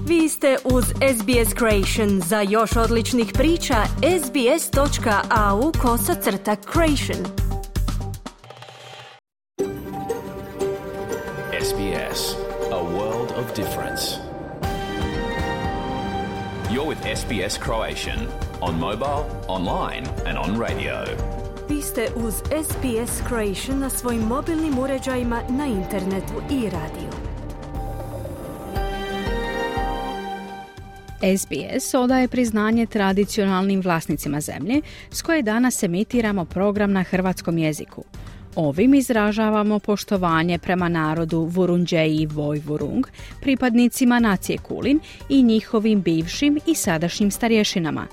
Vi ste uz SBS Creation. Za još odličnih priča, sbs.au/creation. SBS, a world of difference. You're with SBS Croatian on mobile, online and on radio. Vi ste uz SBS Creation na svojim mobilnim uređajima, na internetu i radiju. SBS odaje priznanje tradicionalnim vlasnicima zemlje s koje danas emitiramo program na hrvatskom jeziku. Ovim izražavamo poštovanje prema narodu Vurundjeri Woi-wurrung, pripadnicima nacije Kulin i njihovim bivšim i sadašnjim starješinama.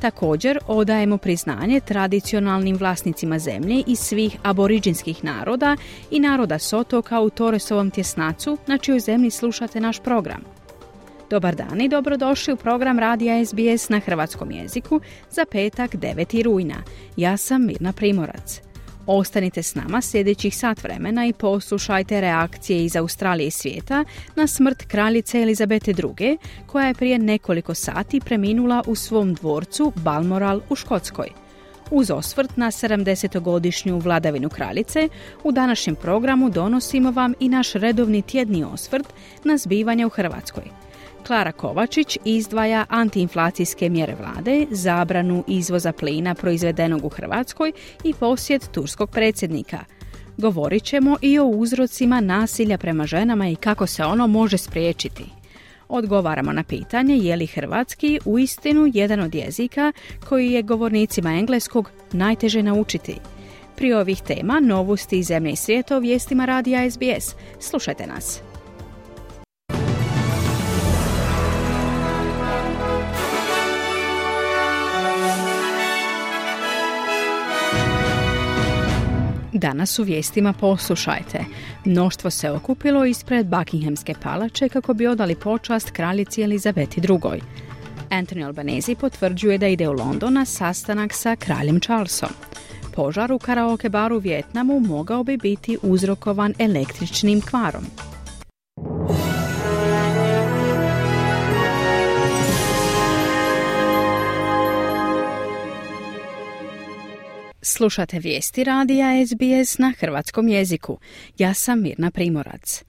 Također odajemo priznanje tradicionalnim vlasnicima zemlje iz svih aboriđinskih naroda i naroda s otoka u Torresovom tjesnacu na čijoj zemlji slušate naš program. Dobar dan i dobrodošli u program radija SBS na hrvatskom jeziku za petak 9. rujna. Ja sam Mirna Primorac. Ostanite s nama sljedećih sat vremena i poslušajte reakcije iz Australije i svijeta na smrt kraljice Elizabete II, koja je prije nekoliko sati preminula u svom dvorcu Balmoral u Škotskoj. Uz osvrt na 70-godišnju vladavinu kraljice, u današnjem programu donosimo vam i naš redovni tjedni osvrt na zbivanja u Hrvatskoj. Klara Kovačić izdvaja antiinflacijske mjere vlade, zabranu izvoza plina proizvedenog u Hrvatskoj i posjet turskog predsjednika. Govorit ćemo i o uzrocima nasilja prema ženama i kako se ono može spriječiti. Odgovaramo na pitanje je li hrvatski uistinu jedan od jezika koji je govornicima engleskog najteže naučiti. Prije ovih tema, novosti iz zemlje i svijeta o vijestima radija SBS. Slušajte nas. Danas u vijestima poslušajte. Mnoštvo se okupilo ispred Buckinghamske palače kako bi odali počast kraljici Elizabeti II. Anthony Albanese potvrđuje da ide u London na sastanak sa kraljem Charlesom. Požar u karaoke baru u Vijetnamu mogao bi biti uzrokovan električnim kvarom. Slušate vijesti radija SBS na hrvatskom jeziku. Ja sam Mirna Primorac.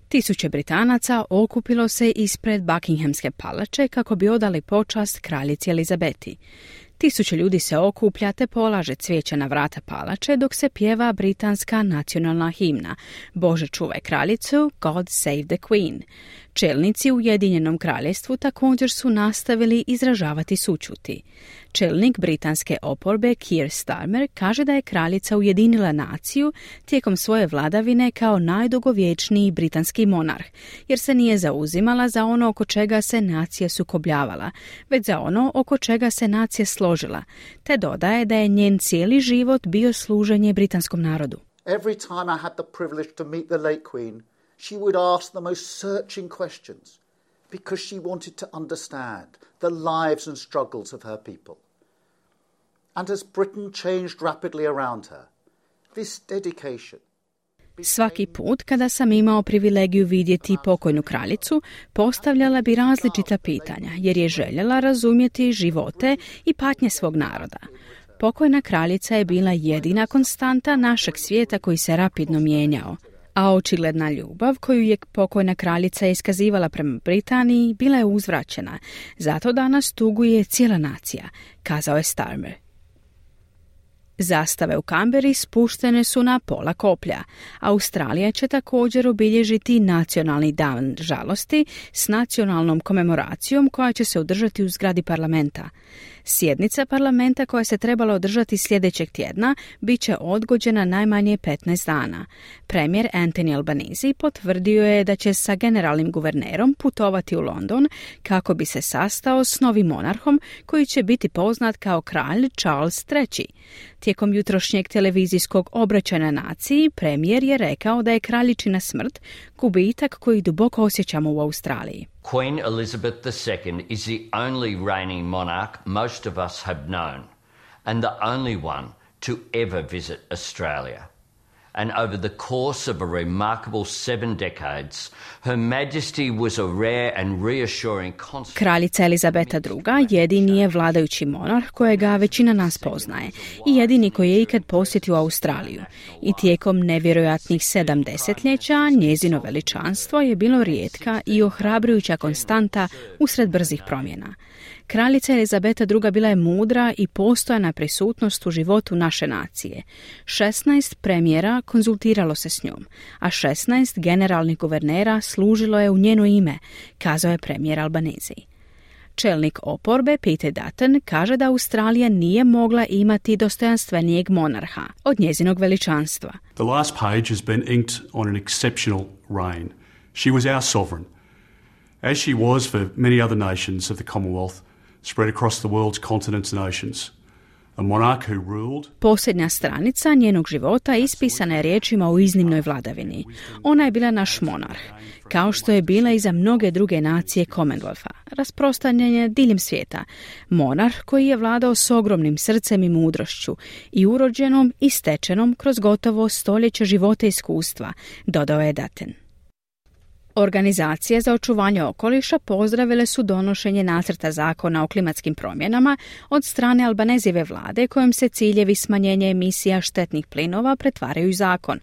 Tisuće Britanaca okupilo se ispred Buckinghamske palače kako bi odali počast kraljici Elizabeti. Tisuće ljudi se okuplja te polaže cvijeće na vrata palače dok se pjeva britanska nacionalna himna Bože čuvaj kraljicu, God save the Queen. Čelnici u Ujedinjenom kraljevstvu također su nastavili izražavati sućuti. Čelnik britanske oporbe Keir Starmer kaže da je kraljica ujedinila naciju tijekom svoje vladavine kao najdugovječniji britanski monarh, jer se nije zauzimala za ono oko čega se nacija sukobljavala, već za ono oko čega se nacija složila, te dodaje da je njen cijeli život bio služenje britanskom narodu. Every time I had the privilege to meet the late Queen, she would ask the most searching questions because she wanted to understand the lives and struggles of her people. And as Britain changed rapidly around her, this dedication... Svaki put kada sam imao privilegiju vidjeti pokojnu kraljicu, postavljala bi različita pitanja, jer je željela razumjeti živote i patnje svog naroda. Pokojna kraljica je bila jedina konstanta našeg svijeta koji se rapidno mijenjao. A očigledna ljubav koju je pokojna kraljica iskazivala prema Britaniji bila je uzvraćena. Zato danas tuguje cijela nacija, kazao je Starmer. Zastave u Kamberi spuštene su na pola koplja. Australija će također obilježiti nacionalni dan žalosti s nacionalnom komemoracijom koja će se održati u zgradi parlamenta. Sjednica parlamenta koja se trebala održati sljedećeg tjedna bit će odgođena najmanje 15 dana. Premijer Anthony Albanese potvrdio je da će sa generalnim guvernerom putovati u London kako bi se sastao s novim monarhom koji će biti poznat kao kralj Charles III. Tijekom jutrošnjeg televizijskog obraćanja naciji, premijer je rekao da je kraljičina smrt gubitak koji duboko osjećamo u Australiji. Queen Elizabeth II is the only reigning monarch most of us have known and the only one to ever visit Australia. And over the course of a remarkable 7 decades, Her Majesty was a rare and reassuring constant... Kraljica Elizabeta II. Jedini je vladajući monarh kojega većina nas poznaje i jedini koji je ikad posjetio Australiju. I tijekom nevjerojatnih 7 desetljeća njezino veličanstvo je bilo rijetka i ohrabrujuća konstanta usred brzih promjena. Kraljica Elizabeta II. Bila je mudra i postojana prisutnost u životu naše nacije. 16 premijera konzultiralo se s njom, a 16 generalnih guvernera služilo je u njeno ime, kazao je premijer Albanese. Čelnik oporbe Peter Dutton kaže da Australija nije mogla imati dostojanstvenijeg monarha od njezinog veličanstva. The last page has been inked on an exceptional reign. She was our sovereign, as she was for many other nations of the Commonwealth, spread across the world's continents and oceans. A monarch who ruled... Posljednja stranica njenog života ispisana je riječima o iznimnoj vladavini. Ona je bila naš monarh, kao što je bila i za mnoge druge nacije Commonwealtha, rasprostranjene diljem svijeta. Monarh koji je vladao s ogromnim srcem i mudrošću i urođenom i stečenom kroz gotovo stoljeća života i iskustva, dodao je Dutton. Organizacije za očuvanje okoliša pozdravile su donošenje nacrta zakona o klimatskim promjenama od strane Albanezijeve vlade kojom se ciljevi smanjenja emisija štetnih plinova pretvaraju u zakon.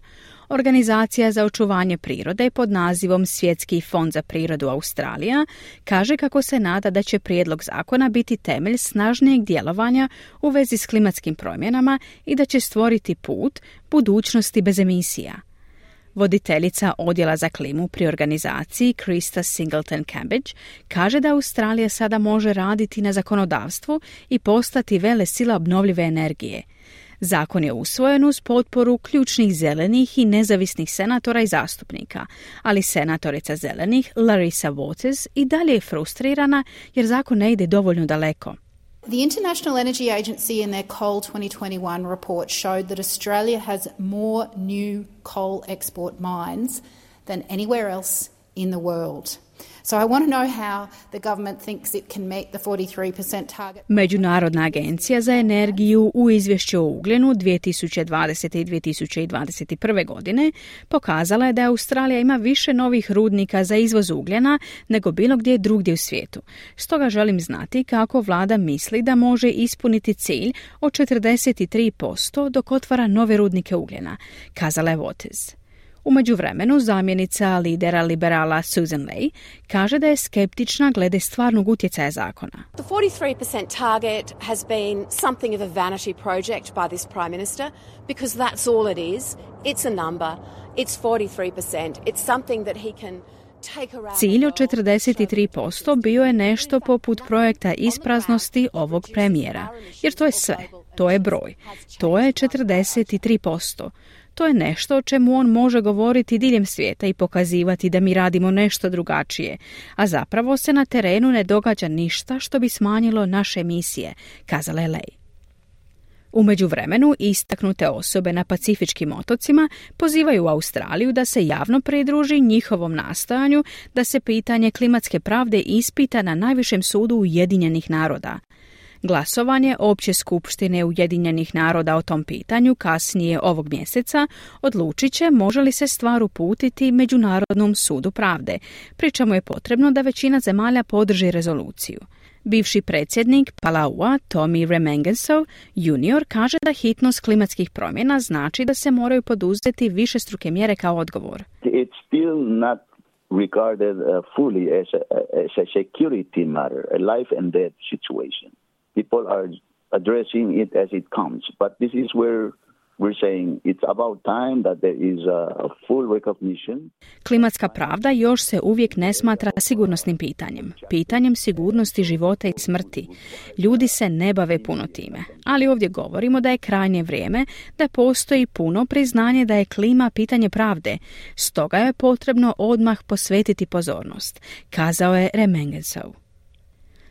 Organizacija za očuvanje prirode pod nazivom Svjetski fond za prirodu Australija kaže kako se nada da će prijedlog zakona biti temelj snažnijeg djelovanja u vezi s klimatskim promjenama i da će stvoriti put budućnosti bez emisija. Voditeljica odjela za klimu pri organizaciji Krista Singleton-Cambridge kaže da Australija sada može raditi na zakonodavstvu i postati velesila obnovljive energije. Zakon je usvojen uz potporu ključnih zelenih i nezavisnih senatora i zastupnika, ali senatorica zelenih Larissa Waters i dalje je frustrirana jer zakon ne ide dovoljno daleko. The International Energy Agency in their Coal 2021 report showed that Australia has more new coal export mines than anywhere else in the world. So I want to know how the government thinks it can meet the 43% target. Međunarodna agencija za energiju u izvješću o ugljenu 2020. i 2021. godine pokazala je da Australija ima više novih rudnika za izvoz ugljena nego bilo gdje drugdje u svijetu. Stoga želim znati kako vlada misli da može ispuniti cilj od 43% dok otvara nove rudnike ugljena, kazala je Waters. U međuvremenu zamjenica lidera liberala Susan Ley kaže da je skeptična glede stvarnog utjecaja zakona. The 43% target has been something of a vanity project by this Prime Minister because that's all it is. It's a number. It's 43%. It's something that he can take around. Cilj od 43% bio je nešto poput projekta ispraznosti ovog premijera, jer to je sve. To je broj. To je 43%. To je nešto o čemu on može govoriti diljem svijeta i pokazivati da mi radimo nešto drugačije, a zapravo se na terenu ne događa ništa što bi smanjilo naše emisije, kazala je Ley. U međuvremenu istaknute osobe na Pacifičkim otocima pozivaju Australiju da se javno pridruži njihovom nastojanju da se pitanje klimatske pravde ispita na najvišem sudu Ujedinjenih naroda. Glasovanje Opće skupštine Ujedinjenih naroda o tom pitanju kasnije ovog mjeseca odlučit će može li se stvar uputiti Međunarodnom sudu pravde, pri čemu je potrebno da većina zemalja podrži rezoluciju. Bivši predsjednik Palaua, Tommy Remengesau junior, kaže da hitnost klimatskih promjena znači da se moraju poduzeti višestruke mjere kao odgovor. It's still not regarded fully as a security matter, a life and death situation. People are addressing it as it comes, but this is where we're saying it's about time that there is a full recognition. Klimatska pravda još se uvijek ne smatra sigurnosnim pitanjem, pitanjem sigurnosti života i smrti. Ljudi se ne bave puno time, ali ovdje govorimo da je krajnje vrijeme da postoji puno priznanje da je klima pitanje pravde, stoga je potrebno odmah posvetiti pozornost, kazao je Remengesau.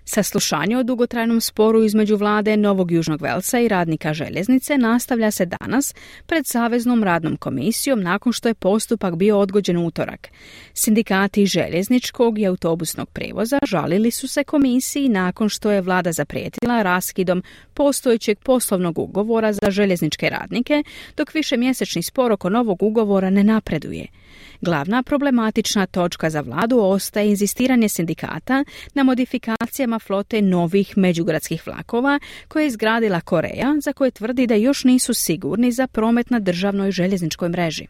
Saslušanje o dugotrajnom sporu između vlade Novog Južnog Velsa i radnika željeznice nastavlja se danas pred Saveznom radnom komisijom nakon što je postupak bio odgođen u utorak. Sindikati željezničkog i autobusnog prijevoza žalili su se komisiji nakon što je vlada zaprijetila raskidom postojećeg poslovnog ugovora za željezničke radnike, dok višemjesečni spor oko novog ugovora ne napreduje. Glavna problematična točka za vladu ostaje inzistiranje sindikata na modifikacijama flote novih međugradskih vlakova koje je izgradila Koreja, za koje tvrdi da još nisu sigurni za promet na državnoj željezničkoj mreži.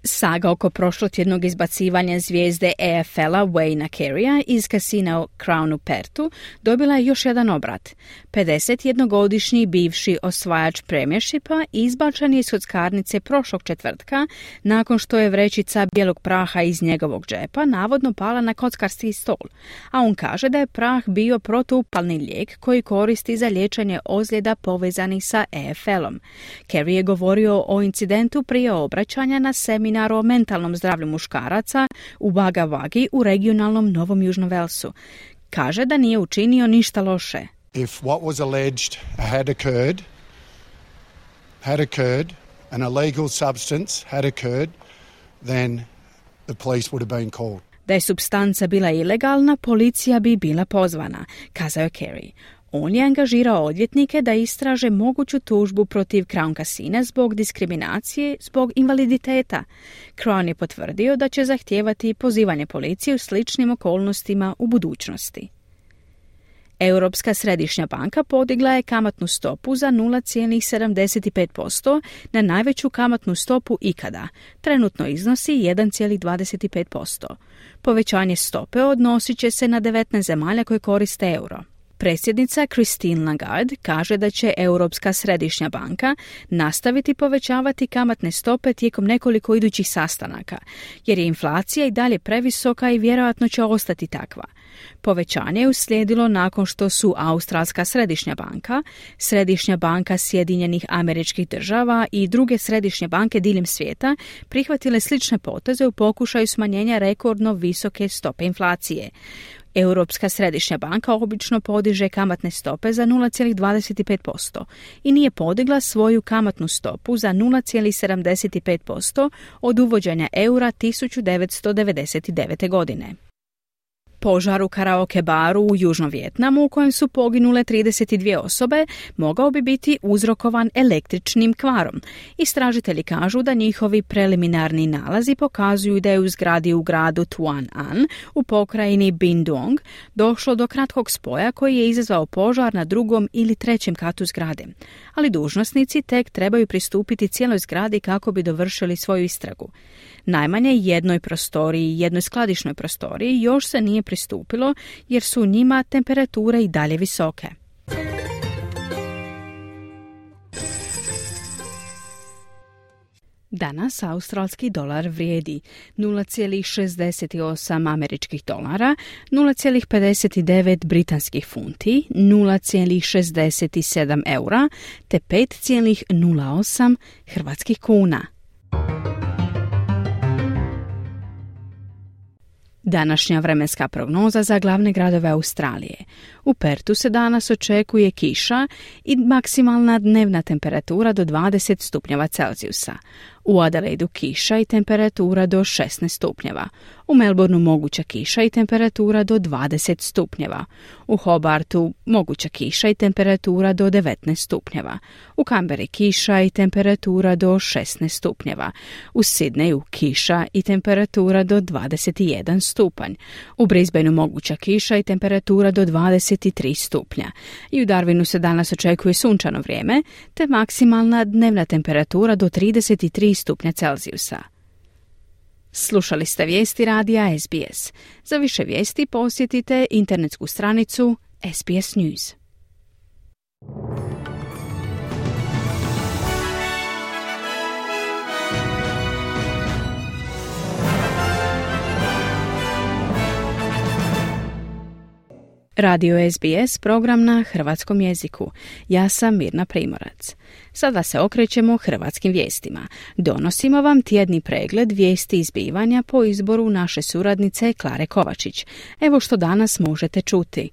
Saga oko prošlotjednog izbacivanja zvijezde EFL-a Wayna Carey'a iz kasina Crown u Pertu dobila je još jedan obrat. 51-godišnji bivši osvajač premiershipa izbačen je iz kockarnice prošlog četvrtka nakon što je vrećica bijelog praha iz njegovog džepa navodno pala na kockarski stol, a on kaže da je prah bio protuupalni lijek koji koristi za liječenje ozljeda povezanih sa EFL-om. Carey je govorio o incidentu prije obraćanja na seminaru o mentalnom zdravlju muškaraca u Wagga Waggi u regionalnom Novom Južnom Velsu. Kaže da nije učinio ništa loše. If what was alleged had occurred, an illegal substance had occurred, then the police would have been called. Da je supstanca bila ilegalna, policija bi bila pozvana, kazao je Carey. On je angažirao odvjetnike da istraže moguću tužbu protiv Crown Casina zbog diskriminacije zbog invaliditeta. Crown je potvrdio da će zahtijevati pozivanje policije u sličnim okolnostima u budućnosti. Europska središnja banka podigla je kamatnu stopu za 0,75% na najveću kamatnu stopu ikada. Trenutno iznosi 1,25%. Povećanje stope odnosit će se na 19 zemalja koje koriste euro. Predsjednica Christine Lagarde kaže da će Europska središnja banka nastaviti povećavati kamatne stope tijekom nekoliko idućih sastanaka, jer je inflacija i dalje previsoka i vjerojatno će ostati takva. Povećanje je uslijedilo nakon što su Australska središnja banka, Središnja banka Sjedinjenih Američkih Država i druge središnje banke diljem svijeta prihvatile slične poteze u pokušaju smanjenja rekordno visoke stope inflacije. Europska središnja banka obično podiže kamatne stope za 0,25% i nije podigla svoju kamatnu stopu za 0,75% od uvođenja eura 1999. godine. Požar u karaoke baru u Južnom Vijetnamu u kojem su poginule 32 osobe mogao bi biti uzrokovan električnim kvarom. Istražitelji kažu da njihovi preliminarni nalazi pokazuju da je u zgradi u gradu Tuan An u pokrajini Binh Duong došlo do kratkog spoja koji je izazvao požar na drugom ili trećem katu zgrade. Ali dužnosnici tek trebaju pristupiti cijeloj zgradi kako bi dovršili svoju istragu. Najmanje jednoj prostoriji i jednoj skladišnoj prostoriji još se nije pristupilo jer su u njima temperature i dalje visoke. Danas australski dolar vrijedi 0,68 američkih dolara, 0,59 britanskih funti, 0,67 eura te 5,08 hrvatskih kuna. Današnja vremenska prognoza za glavne gradove Australije. U Pertu se danas očekuje kiša i maksimalna dnevna temperatura do 20 stupnjeva Celzijusa. U Adelaidu kiša i temperatura do 16 stupnjeva. U Melbourneu moguća kiša i temperatura do 20 stupnjeva. U Hobartu moguća kiša i temperatura do 19 stupnjeva. U Canberri kiša i temperatura do 16 stupnjeva. U Sydneyu kiša i temperatura do 21 stupanj. U Brisbaneu moguća kiša i temperatura do 23 stupnja. I u Darwinu se danas očekuje sunčano vrijeme, te maksimalna dnevna temperatura do 33 stupnja Celzijusa. Slušali ste vijesti radija SBS. Za više vijesti posjetite internetsku stranicu SBS News. Radio SBS, program na hrvatskom jeziku. Ja sam Mirna Primorac. Sada se okrećemo hrvatskim vijestima. Donosimo vam tjedni pregled vijesti i zbivanja po izboru naše suradnice Klare Kovačić. Evo što danas možete čuti.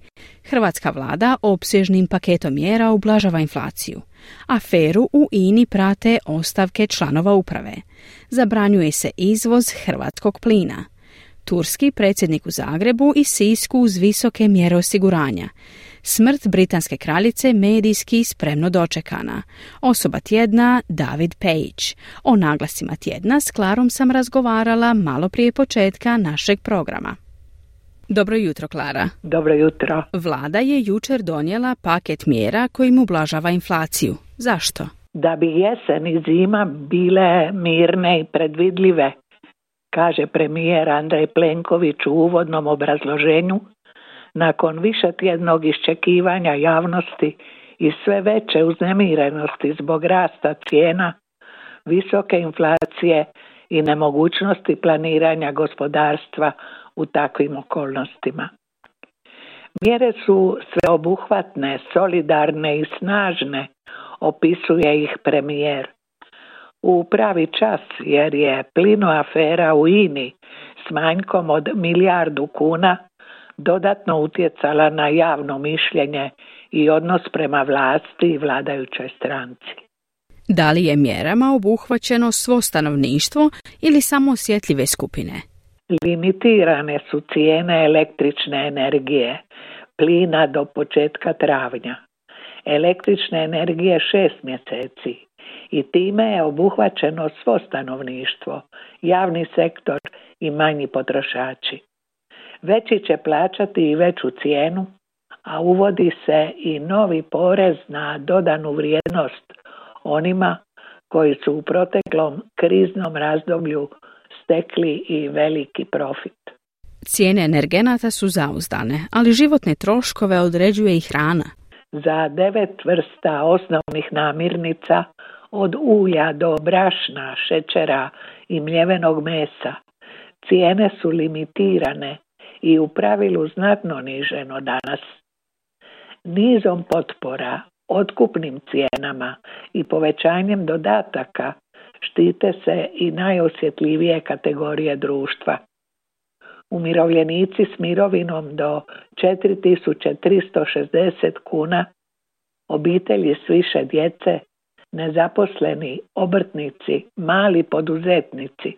Hrvatska vlada opsežnim paketom mjera ublažava inflaciju. Aferu u INI prate ostavke članova uprave. Zabranjuje se izvoz hrvatskog plina. Turski predsjednik u Zagrebu i Sisku uz visoke mjere osiguranja. Smrt britanske kraljice medijski spremno dočekana. Osoba tjedna David Page. O naglasima tjedna s Klarom sam razgovarala malo prije početka našeg programa. Dobro jutro, Klara. Dobro jutro. Vlada je jučer donijela paket mjera kojim ublažava inflaciju. Zašto? Da bi jesen i zima bile mirne i predvidljive, kaže premijer Andrej Plenković u uvodnom obrazloženju, nakon višetjednog iščekivanja javnosti i sve veće uznemirenosti zbog rasta cijena, visoke inflacije i nemogućnosti planiranja gospodarstva u takvim okolnostima. Mjere su sveobuhvatne, solidarne i snažne, opisuje ih premijer. U pravi čas, jer je plino afera u INI s manjkom od 1 milijardu kuna dodatno utjecala na javno mišljenje i odnos prema vlasti i vladajućoj stranci. Da li je mjerama obuhvaćeno svo stanovništvo ili samo osjetljive skupine? Limitirane su cijene električne energije, plina do početka travnja, električne energije 6 mjeseci i time je obuhvaćeno svo stanovništvo, javni sektor i manji potrošači. Veći će plaćati i veću cijenu, a uvodi se i novi porez na dodanu vrijednost onima koji su u proteklom kriznom razdoblju stekli i veliki profit. Cijene energenata su zauzdane, ali životne troškove određuje i hrana. Za 9 vrsta osnovnih namirnica, od ulja do brašna, šećera i mljevenog mesa, cijene su limitirane i u pravilu znatno niže no danas. Nizom potpora, otkupnim cijenama i povećanjem dodataka štite se i najosjetljivije kategorije društva. Umirovljenici s mirovinom do 4.360 kuna, obitelji s više djece, nezaposleni, obrtnici, mali poduzetnici.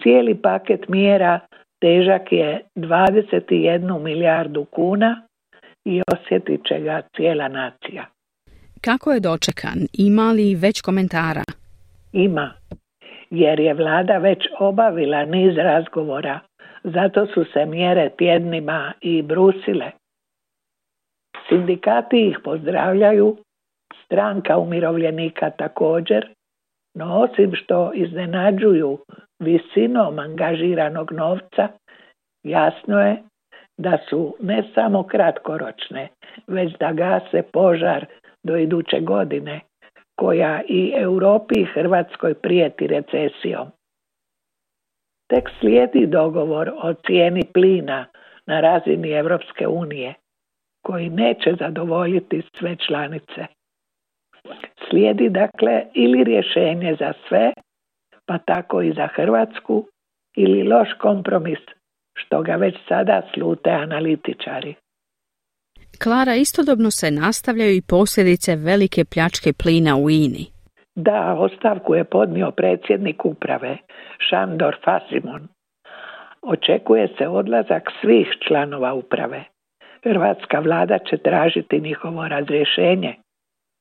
Cijeli paket mjera težak je 21 milijardu kuna i osjetit će ga cijela nacija. Kako je dočekan? Ima li već komentara? Ima, jer je vlada već obavila niz razgovora, zato su se mjere tjednima i brusile. Sindikati ih pozdravljaju, stranka umirovljenika također, no osim što iznenađuju visinom angažiranog novca, jasno je da su ne samo kratkoročne, već da gase požar do iduće godine, koja i Europi i Hrvatskoj prijeti recesijom. Tek slijedi dogovor o cijeni plina na razini Europske unije, koji neće zadovoljiti sve članice. Slijedi dakle ili rješenje za sve, pa tako i za Hrvatsku, ili loš kompromis, što ga već sada slute analitičari. Klara, istodobno se nastavljaju i posljedice velike pljačke plina u INI. Da, ostavku je podnio predsjednik uprave, Šandor Fasimon. Očekuje se odlazak svih članova uprave. Hrvatska vlada će tražiti njihovo razrješenje,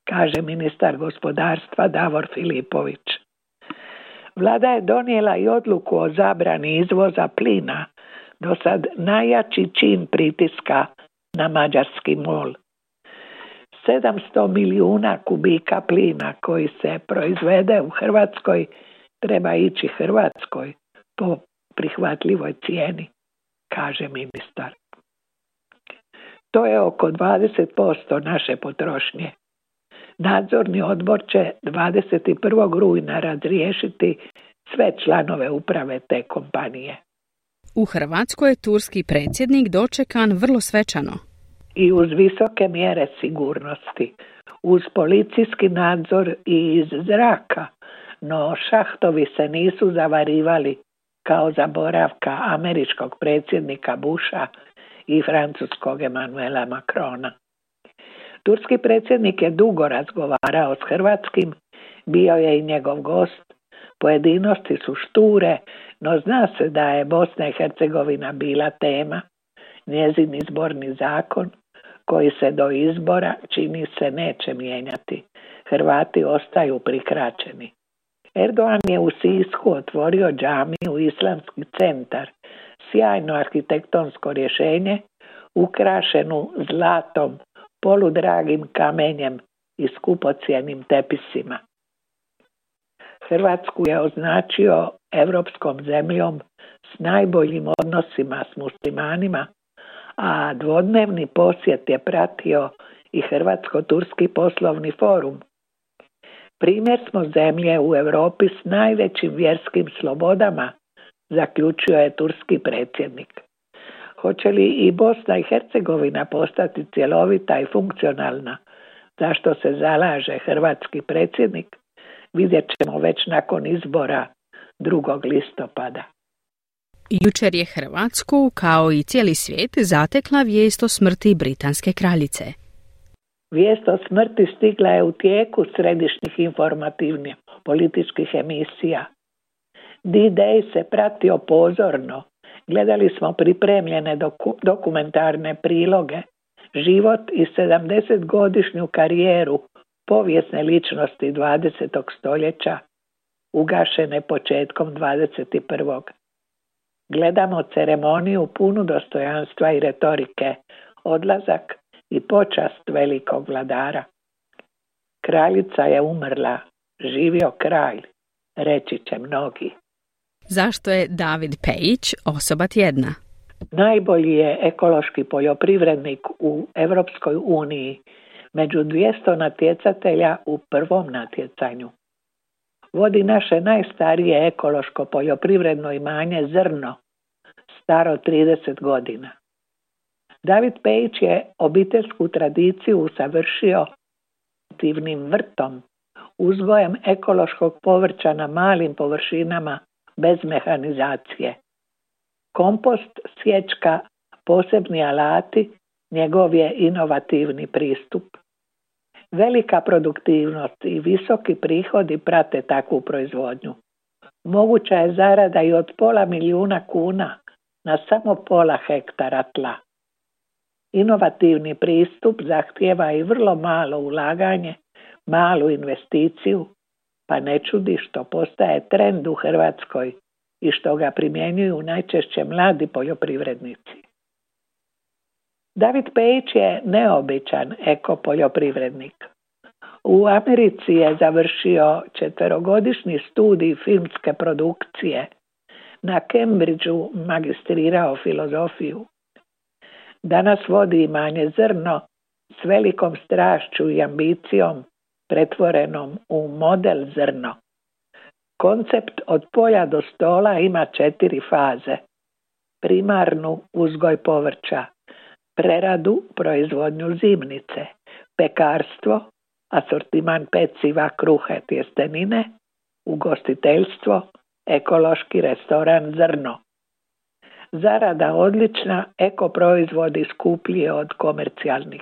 kaže ministar gospodarstva Davor Filipović. Vlada je donijela i odluku o zabrani izvoza plina, do sad najjači čin pritiska na mađarski MOL. 700 milijuna kubika plina koji se proizvede u Hrvatskoj treba ići Hrvatskoj po prihvatljivoj cijeni, kaže ministar. To je oko 20% naše potrošnje. Nadzorni odbor će 21. rujna razriješiti sve članove uprave te kompanije. U Hrvatskoj je turski predsjednik dočekan vrlo svečano. i uz visoke mjere sigurnosti, uz policijski nadzor i iz zraka, no šahtovi se nisu zavarivali kao za boravka američkog predsjednika Busha i francuskog Emmanuela Macrona. Turski predsjednik je dugo razgovarao s hrvatskim, bio je i njegov gost. Pojedinosti su šture, no zna se da je Bosna i Hercegovina bila tema. Njezin izborni zakon, koji se do izbora čini se neće mijenjati. Hrvati ostaju prikraćeni. Erdogan je u Sisku otvorio džamiju Islamski centar, sjajno arhitektonsko rješenje, ukrašenu zlatom, poludragim kamenjem i skupocjenim tepisima. Hrvatsku je označio europskom zemljom s najboljim odnosima s muslimanima, a dvodnevni posjet je pratio i Hrvatsko-turski poslovni forum. Primjer smo zemlje u Europi s najvećim vjerskim slobodama, zaključio je turski predsjednik. Hoće li i Bosna i Hercegovina postati cjelovita i funkcionalna, za što se zalaže hrvatski predsjednik, vidjet ćemo već nakon izbora 2. listopada. Jučer je Hrvatsku, kao i cijeli svijet, zatekla vijest o smrti britanske kraljice. Vijest o smrti stigla je u tijeku središnjih informativnih političkih emisija. D-Day se pratio pozorno. Gledali smo pripremljene dokumentarne priloge, život i 70-godišnju karijeru povijesne ličnosti 20. stoljeća, ugašene početkom 21. Gledamo ceremoniju punu dostojanstva i retorike, odlazak i počast velikog vladara. Kraljica je umrla, živio kralj, reći će mnogi. Zašto je David Pejić osoba tjedna? Najbolji je ekološki poljoprivrednik u Europskoj uniji, među 200 natjecatelja u prvom natjecanju. Vodi naše najstarije ekološko poljoprivredno imanje Zrno, staro 30 godina. David Pejić je obiteljsku tradiciju usavršio aktivnim vrtom, uzgojem ekološkog povrća na malim površinama bez mehanizacije. Kompost, sječka, posebni alati, njegov je inovativni pristup. Velika produktivnost i visoki prihodi prate takvu proizvodnju. Moguća je zarada i od $500,000 kuna na samo pola hektara tla. Inovativni pristup zahtijeva i vrlo malo ulaganje, malu investiciju, pa ne čudi što postaje trend u Hrvatskoj i što ga primjenjuju najčešće mladi poljoprivrednici. David Pejić je neobičan ekopoljoprivrednik. U Americi je završio 4-godišnji studij filmske produkcije. Na Cambridgeu magistrirao filozofiju. Danas vodi imanje Zrno s velikom strašću i ambicijom pretvorenom u model Zrno. Koncept od polja do stola ima 4 faze. Primarnu uzgoj povrća, preradu, proizvodnju zimnice, pekarstvo, asortiman peciva, kruhe, tjestenine, ugostiteljstvo, ekološki restoran Zrno. Zarada odlična, eko proizvodi skuplji od komercijalnih.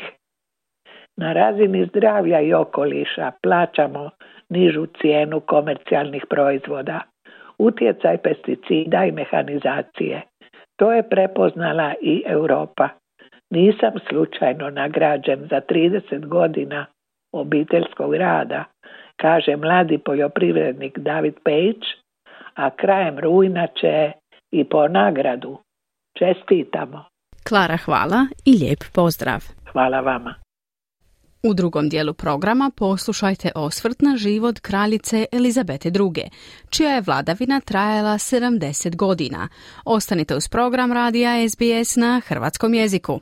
Na razini zdravlja i okoliša plaćamo nižu cijenu komercijalnih proizvoda, utjecaj pesticida i mehanizacije. To je prepoznala i Europa. Nisam slučajno nagrađen za 30 godina obiteljskog rada, kaže mladi poljoprivrednik David Pejić, a krajem rujna će i po nagradu. Čestitamo. Klara, hvala i lijep pozdrav. Hvala vama. U drugom dijelu programa poslušajte osvrt na život kraljice Elizabete II, čija je vladavina trajala 70 godina. Ostanite uz program radija SBS na hrvatskom jeziku.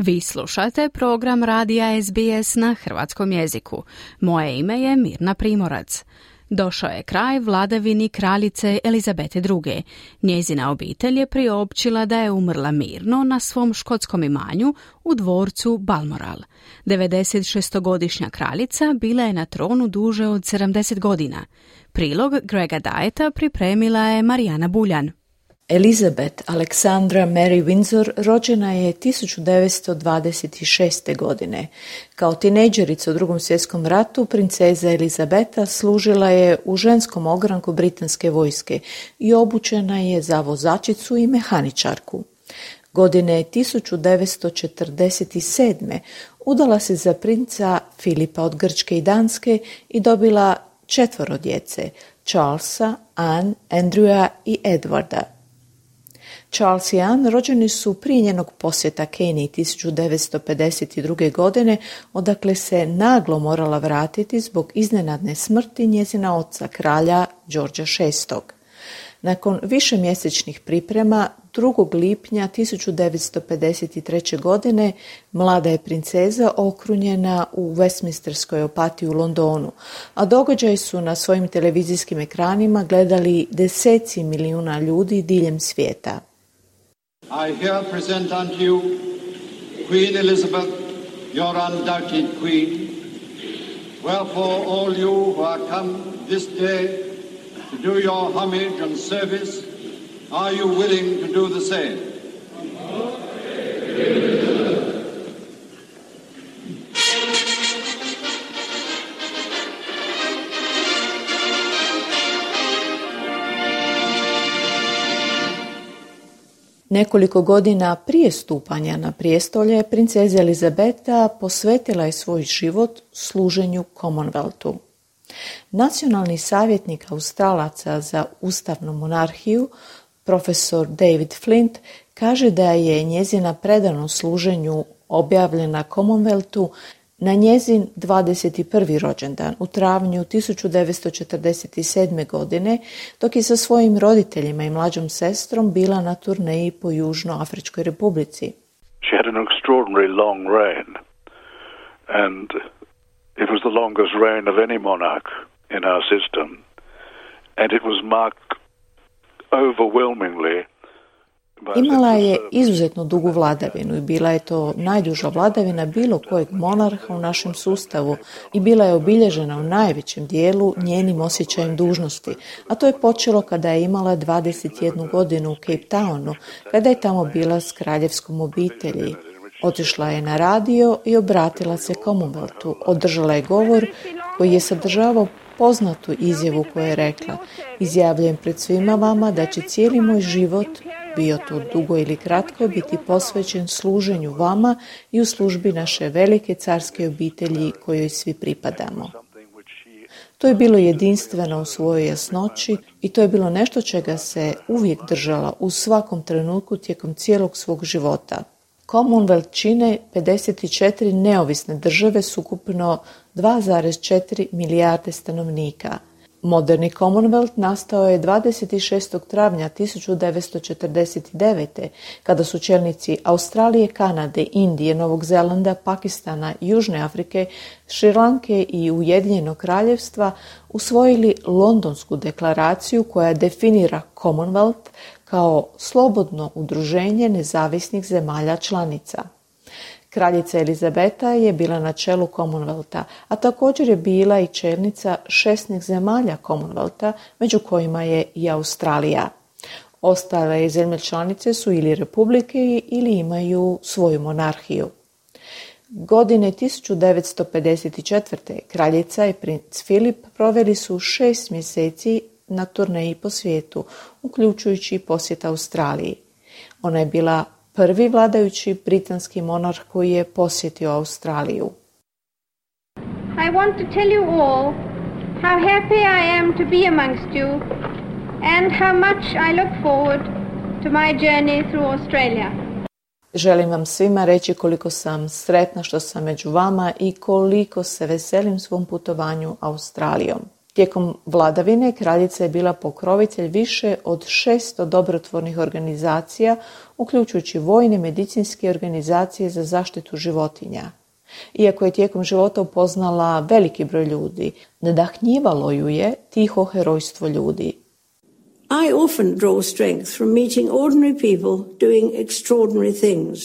Vi slušate program radija SBS na hrvatskom jeziku. Moje ime je Mirna Primorac. Došao je kraj vladavini kraljice Elizabete II. Njezina obitelj je priopćila da je umrla mirno na svom škotskom imanju u dvorcu Balmoral. 96-godišnja kraljica bila je na tronu duže od 70 godina. Prilog Grega Dieta pripremila je Marijana Buljan. Elizabeth Alexandra Mary Windsor rođena je 1926. godine. Kao tinejdžerica u Drugom svjetskom ratu princeza Elizabeta služila je u ženskom ogranku britanske vojske i obučena je za vozačicu i mehaničarku. Godine 1947. udala se za princa Filipa od Grčke i Danske i dobila 4 djece, Charlesa, Anne, Andrewa i Edwarda. Charles i Anne rođeni su prije njenog posjeta Keniji 1952. godine, odakle se naglo morala vratiti zbog iznenadne smrti njezina oca, kralja Georgea VI. Nakon višemjesečnih priprema, 2. lipnja 1953. godine mlada je princeza okrunjena u Westminsterskoj apatiji u Londonu, a događaj su na svojim televizijskim ekranima gledali deseci milijuna ljudi diljem svijeta. I here present unto you Queen Elizabeth, your undoubted queen. Wherefore all you who are come this day to do your homage and service, are you willing to do the same? Nekoliko godina prije stupanja na prijestolje, princeza Elizabeta posvetila je svoj život služenju Commonwealthu. Nacionalni savjetnik Australaca za ustavnu monarhiju, profesor David Flint, kaže da je njezina predanost služenju objavljena Commonwealthu na njezin 21. rođendan u travnju 1947. godine, dok je sa svojim roditeljima i mlađom sestrom bila na turneji po Južnoafričkoj republici. She had an extraordinary long reign, and it was the longest reign of any monarch in our system, and it was marked overwhelmingly. Imala je izuzetno dugu vladavinu i bila je to najduža vladavina bilo kojeg monarha u našem sustavu i bila je obilježena u najvećem dijelu njenim osjećajem dužnosti, a to je počelo kada je imala 21 godinu u Cape Townu, kada je tamo bila s kraljevskom obitelji. Otišla je na radio i obratila se Commonwealthu, održala je govor koji je sadržavao poznatu izjavu koju je rekla: izjavljujem pred svima vama da će cijeli moj život, bio to dugo ili kratko, biti posvećen služenju vama i u službi naše velike carske obitelji kojoj svi pripadamo. To je bilo jedinstveno u svojoj jasnoći i to je bilo nešto čega se uvijek držala u svakom trenutku tijekom cijelog svog života. Commonwealth čine 54 neovisne države s ukupno 2,4 milijarde stanovnika. Moderni Commonwealth nastao je 26. travnja 1949. kada su čelnici Australije, Kanade, Indije, Novog Zelanda, Pakistana, Južne Afrike, Šrilanke i Ujedinjenog kraljevstva usvojili Londonsku deklaraciju koja definira Commonwealth kao slobodno udruženje nezavisnih zemalja članica. Kraljica Elizabeta je bila na čelu Commonwealtha, a također je bila i čelnica 16 zemalja Commonwealtha, među kojima je i Australija. Ostale zemlje članice su ili republike ili imaju svoju monarhiju. Godine 1954. kraljica i princ Filip proveli su 6 mjeseci na turneji po svijetu, uključujući posjet Australiji. Ona je bila prvi vladajući britanski monarh koji je posjetio Australiju. I want to tell you all how happy I am to be amongst you and how much I look forward to my journey through Australia. Želim vam svima reći koliko sam sretna što sam među vama i koliko se veselim svom putovanju Australijom. Tijekom vladavine kraljica je bila pokrovitelj više od 600 dobrotvornih organizacija, uključujući vojne medicinske organizacije za zaštitu životinja. Iako je tijekom života upoznala veliki broj ljudi, nadahnjivalo ju je tiho herojstvo ljudi. I often draw strength from meeting ordinary people doing extraordinary things.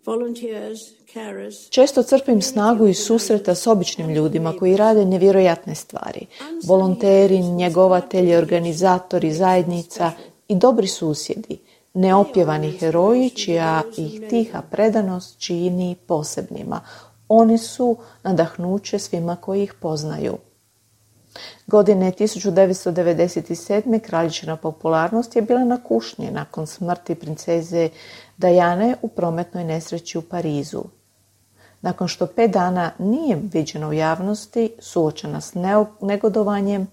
Volunteers, carers. Često crpim snagu iz susreta s običnim ljudima koji rade nevjerojatne stvari. Volonteri, njegovatelji, organizatori zajednica i dobri susjedi, neopjevani heroji čija ih tiha predanost čini posebnima. Oni su nadahnuće svima koji ih poznaju. Godine 1997. kraljičina popularnost je bila na kušnji nakon smrti princeze Diane u prometnoj nesreći u Parizu. Nakon što 5 dana nije viđena u javnosti, suočena s negodovanjem,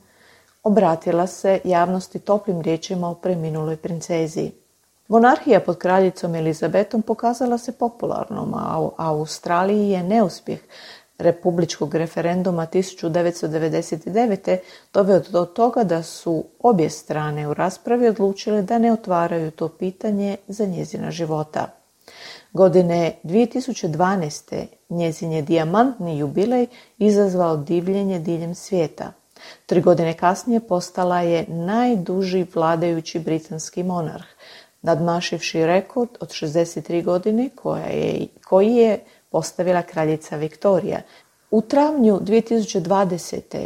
obratila se javnosti toplim riječima o preminuloj princezi. Monarhija pod kraljicom Elizabetom pokazala se popularnom, a u Australiji je neuspjeh republičkog referenduma 1999. doveo do toga da su obje strane u raspravi odlučile da ne otvaraju to pitanje za njezina života. Godine 2012. njezin je dijamantni jubilej izazvao divljenje diljem svijeta. 3 godine kasnije postala je najduži vladajući britanski monarh, nadmašivši rekord od 63 godine koji je postavila kraljica Viktorija. U travnju 2020.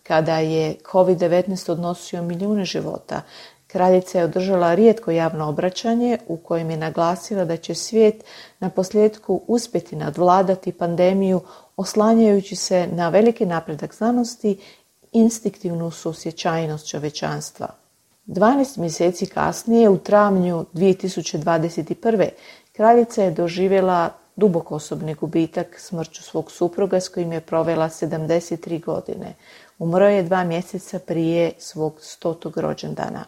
kada je COVID-19 odnosio milijune života, kraljica je održala rijetko javno obraćanje u kojem je naglasila da će svijet naposljetku uspjeti nadvladati pandemiju oslanjajući se na veliki napredak znanosti i instinktivnu suosjećajnost čovječanstva. 12 mjeseci kasnije, u travnju 2021. kraljica je doživjela dubok osobni gubitak smrću svog supruga s kojim je provela 73 godine. Umro je 2 mjeseca prije svog 100. rođendana.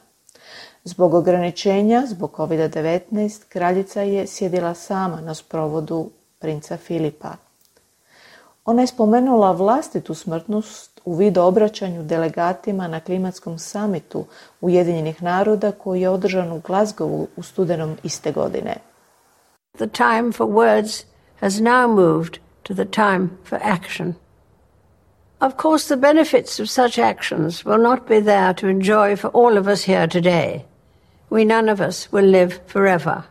Zbog ograničenja, zbog COVID-19, kraljica je sjedila sama na sprovodu princa Filipa. Ona je spomenula vlastitu smrtnost u video obraćanju delegatima na klimatskom samitu Ujedinjenih naroda koji je održan u Glasgowu u studenom iste godine. The time for words has now moved to the time for action. Of course, the benefits of such actions will not be there to enjoy for all of us here today. We none of us will live forever.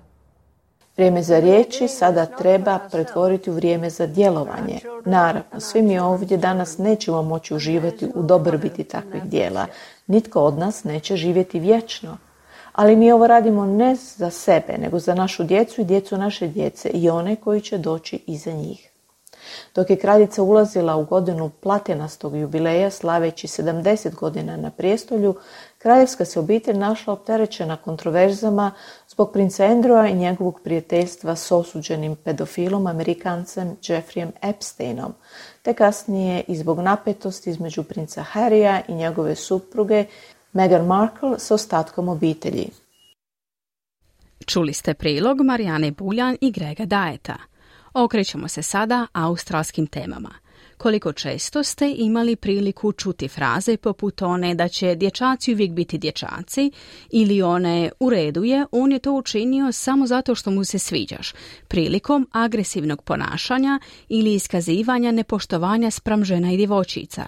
Vrijeme za riječi sada treba pretvoriti u vrijeme za djelovanje. Naravno, svi mi ovdje danas nećemo moći uživati u dobrobiti takvih djela. Nitko od nas neće živjeti vječno. Ali mi ovo radimo ne za sebe, nego za našu djecu i djecu naše djece i one koji će doći iza njih. Dok je kraljica ulazila u godinu platinastog jubileja, slaveći 70 godina na prijestolju, kraljevska se obitelj našla opterećena kontroverzama zbog princa Andrewa i njegovog prijateljstva s osuđenim pedofilom Amerikancem Jeffreyem Epsteinom, te kasnije i zbog napetosti između princa Harrya i njegove supruge Meghan Markle s ostatkom obitelji. Čuli ste prilog Marijane Buljan i Grega Dajeta. Okrećemo se sada australskim temama. Koliko često ste imali priliku čuti fraze poput one da će dječaci uvijek biti dječaci ili one u redu je, on je to učinio samo zato što mu se sviđaš, prilikom agresivnog ponašanja ili iskazivanja nepoštovanja spram žena i djevojčica.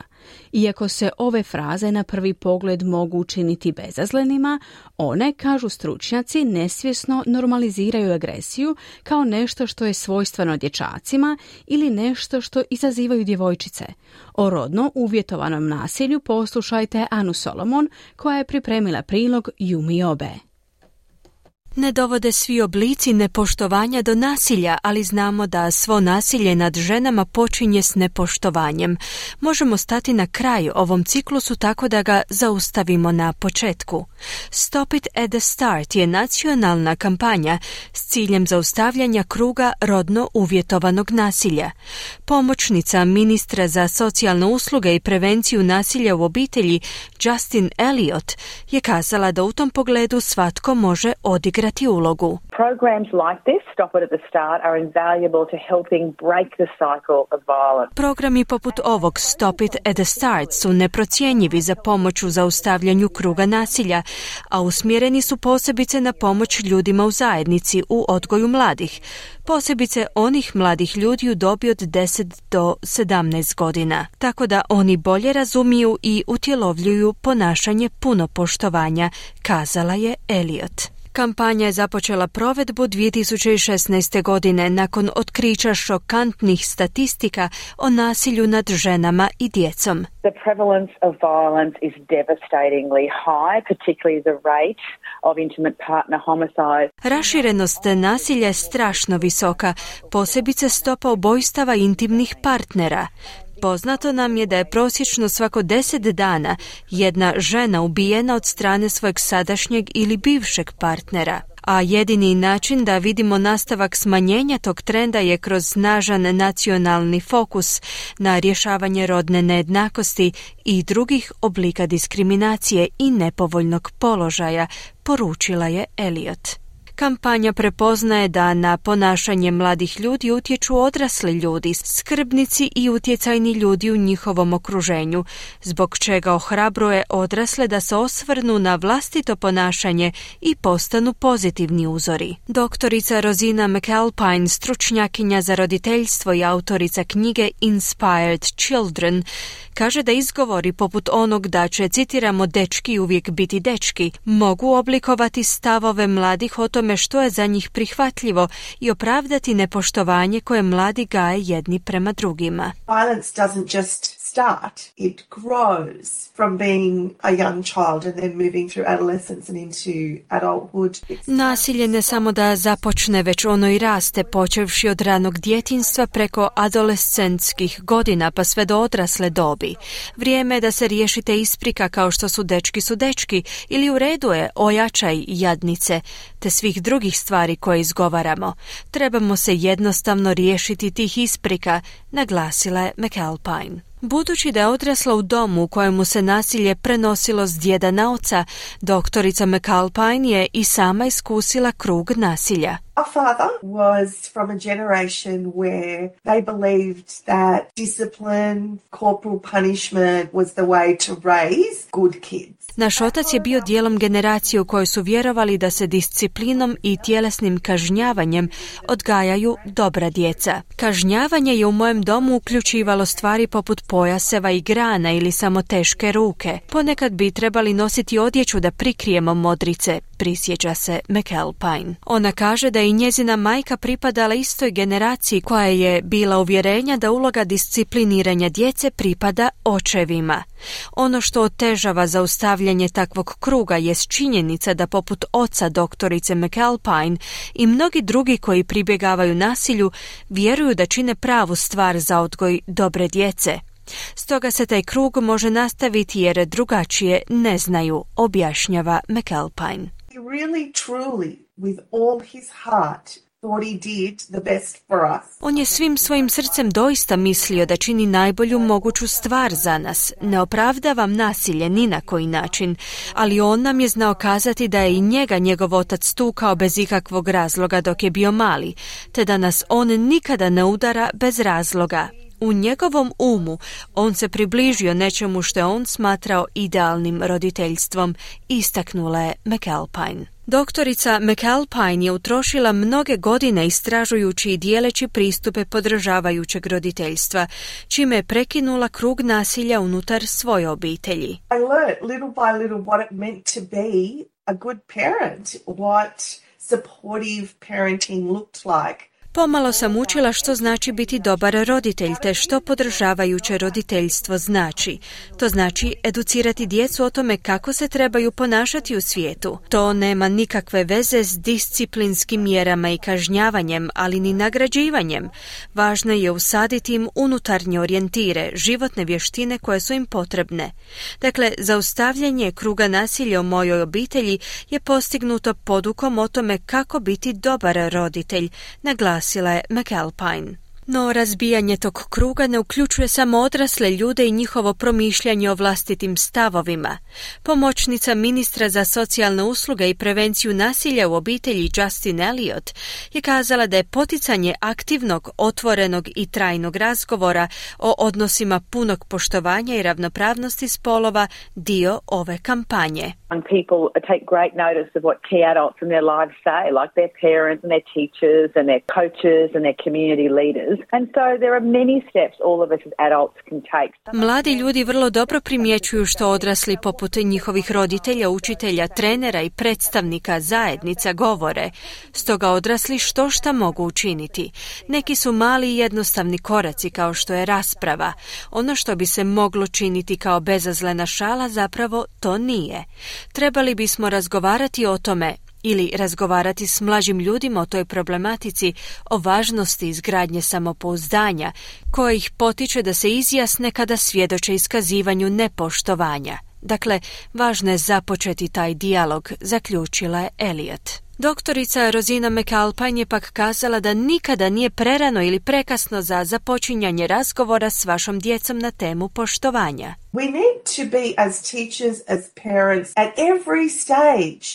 Iako se ove fraze na prvi pogled mogu učiniti bezazlenima, one, kažu stručnjaci, nesvjesno normaliziraju agresiju kao nešto što je svojstveno dječacima ili nešto što izazivaju djevojčice. O rodno uvjetovanom nasilju poslušajte Anu Solomon koja je pripremila prilog Yumi Obe. Ne dovode svi oblici nepoštovanja do nasilja, ali znamo da svo nasilje nad ženama počinje s nepoštovanjem. Možemo stati na kraj ovom ciklusu tako da ga zaustavimo na početku. Stop it at the start je nacionalna kampanja s ciljem zaustavljanja kruga rodno uvjetovanog nasilja. Pomoćnica ministra za socijalne usluge i prevenciju nasilja u obitelji Justin Elliot je kazala da u tom pogledu svatko može odigrati odigrati ulogu. Programs like this, Stop It at the Start, are invaluable to helping break the cycle of violence. Programi poput ovog Stop It at the Start su neprocjenjivi za pomoć u zaustavljanju kruga nasilja, a usmjereni su posebice na pomoć ljudima u zajednici u odgoju mladih, posebice onih mladih ljudi u dobi od 10 do 17 godina, tako da oni bolje razumiju i utjelovljuju ponašanje puno poštovanja, kazala je Elliot. Kampanja je započela provedbu 2016. godine nakon otkrića šokantnih statistika o nasilju nad ženama i djecom. The prevalence of violence is devastatingly high, particularly the rate of intimate partner homicide. Raširenost nasilja je strašno visoka, posebice stopa ubojstava intimnih partnera. Poznato nam je da je prosječno svako 10 dana jedna žena ubijena od strane svojeg sadašnjeg ili bivšeg partnera. A jedini način da vidimo nastavak smanjenja tog trenda je kroz snažan nacionalni fokus na rješavanje rodne nejednakosti i drugih oblika diskriminacije i nepovoljnog položaja, poručila je Elliot. Kampanja prepoznaje da na ponašanje mladih ljudi utječu odrasli ljudi, skrbnici i utjecajni ljudi u njihovom okruženju, zbog čega ohrabruje odrasle da se osvrnu na vlastito ponašanje i postanu pozitivni uzori. Doktorica Rosina McAlpine, stručnjakinja za roditeljstvo i autorica knjige Inspired Children, kaže da izgovori poput onog da će, citiramo, dečki uvijek biti dečki, mogu oblikovati stavove mladih o tome što je za njih prihvatljivo i opravdati nepoštovanje koje mladi gaje jedni prema drugima. Violence doesn't just start, it grows from being a young child and then moving through adolescence and into adulthood. Nasilje ne samo da započne, već ono i raste, počevši od ranog djetinjstva preko adolescentskih godina pa sve do odrasle dobi. Vrijeme je da se riješite isprika kao što su dečki ili u redu je ojačaj jadnice, te svih drugih stvari koje izgovaramo. Trebamo se jednostavno riješiti tih isprika, naglasila je McAlpine. Budući da je odrasla u domu u kojemu se nasilje prenosilo s djeda na oca, doktorica McAlpine je i sama iskusila krug nasilja. Our father was from a generation where they believed that discipline, corporal punishment was the way to raise good kids. Naš otac je bio dijelom generacije u kojoj su vjerovali da se disciplinom i tjelesnim kažnjavanjem odgajaju dobra djeca. Kažnjavanje je u mojem domu uključivalo stvari poput pojaseva i grana ili samo teške ruke. Ponekad bi trebali nositi odjeću da prikrijemo modrice, prisjeća se McAlpine. Ona kaže da je i njezina majka pripadala istoj generaciji koja je bila uvjerenja da uloga discipliniranja djece pripada očevima. Ono što otežava zaustavljanje takvog kruga jest činjenica da poput oca doktorice McAlpine i mnogi drugi koji pribjegavaju nasilju vjeruju da čine pravu stvar za odgoj dobre djece. Stoga se taj krug može nastaviti jer drugačije ne znaju, objašnjava McAlpine. He really, truly, with all his heart, thought he did the best for us. On je svim svojim srcem doista mislio da čini najbolju moguću stvar za nas. Ne opravdavam nasilje ni na koji način, ali on nam je znao kazati da je i njega njegov otac tukao bez ikakvog razloga dok je bio mali, te da nas on nikada ne udara bez razloga. U njegovom umu on se približio nečemu što je on smatrao idealnim roditeljstvom, istaknula je McAlpine. Doktorica McAlpine je utrošila mnoge godine istražujući i dijeleći pristupe podržavajućeg roditeljstva, čime je prekinula krug nasilja unutar svoje obitelji. I learned little by little what it meant to be a good parent, what supportive parenting looked like. Pomalo sam učila što znači biti dobar roditelj, te što podržavajuće roditeljstvo znači. To znači educirati djecu o tome kako se trebaju ponašati u svijetu. To nema nikakve veze s disciplinskim mjerama i kažnjavanjem, ali ni nagrađivanjem. Važno je usaditi im unutarnje orijentire, životne vještine koje su im potrebne. Dakle, zaustavljanje kruga nasilja u mojoj obitelji je postignuto podukom o tome kako biti dobar roditelj, naglasila je McAlpine. No razbijanje tog kruga ne uključuje samo odrasle ljude i njihovo promišljanje o vlastitim stavovima. Pomoćnica ministra za socijalne usluge i prevenciju nasilja u obitelji Justin Elliott je kazala da je poticanje aktivnog, otvorenog i trajnog razgovora o odnosima punog poštovanja i ravnopravnosti spolova dio ove kampanje. People take great notice of what key adults in their lives say, like their parents and their teachers and their coaches and their community leaders. And so there are many steps all of us as adults can take. Mladi ljudi vrlo dobro primjećuju što odrasli poput njihovih roditelja, učitelja, trenera i predstavnika zajednica govore. Stoga odrasli šta mogu učiniti. Neki su mali i jednostavni koraci kao što je rasprava. Ono što bi se moglo činiti kao bezazlena šala zapravo to nije. Trebali bismo razgovarati o tome ili razgovarati s mlađim ljudima o toj problematici, o važnosti izgradnje samopouzdanja, koja ih potiče da se izjasne kada svjedoče iskazivanju nepoštovanja. Dakle, važno je započeti taj dijalog, zaključila je Elliott. Doktorica Rosina McAlpine je pak kazala da nikada nije prerano ili prekasno za započinjanje razgovora s vašom djecom na temu poštovanja. We need to be as teachers, as parents, at every stage,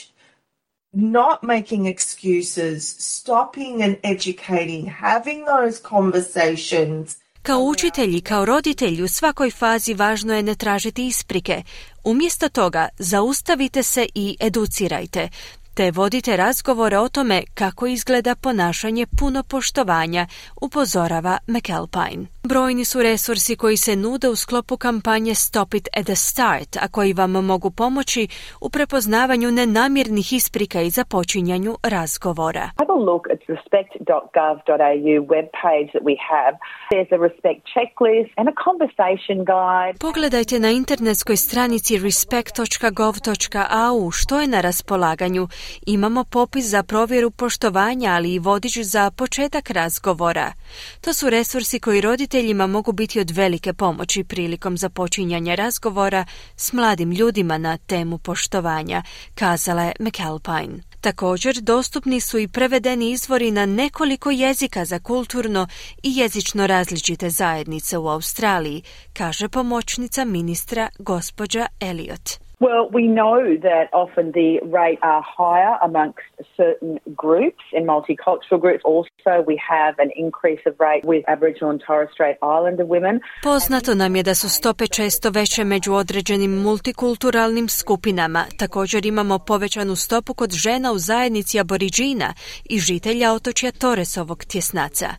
not making excuses, stopping and educating, having those conversations. Kao učitelji, kao roditelji u svakoj fazi važno je ne tražiti isprike. Umjesto toga zaustavite se i educirajte, te vodite razgovore o tome kako izgleda ponašanje puno poštovanja, upozorava McAlpine. Brojni su resursi koji se nude u sklopu kampanje Stop it at the start, a koji vam mogu pomoći u prepoznavanju nenamjernih isprika i započinjanju razgovora. Have a look at respect.gov.au webpage that we have. There's a respect checklist and a conversation guide. Pogledajte na internetskoj stranici respect.gov.au što je na raspolaganju. Imamo popis za provjeru poštovanja, ali i vodič za početak razgovora. To su resursi koji roditeljima mogu biti od velike pomoći prilikom započinjanja razgovora s mladim ljudima na temu poštovanja, kazala je McAlpine. Također, dostupni su i prevedeni izvori na nekoliko jezika za kulturno i jezično različite zajednice u Australiji, kaže pomoćnica ministra gospođa Elliott. Well, we know that often the rate are higher amongst certain groups and multicultural groups. Also, we have an increase of rate with Aboriginal and Torres Strait Islander women. Poznato nam je da su stope često veće među određenim multikulturalnim skupinama. Također imamo povećanu stopu kod žena u zajednici Aboriđina i žitelja otočja Torresovog tjesnaca.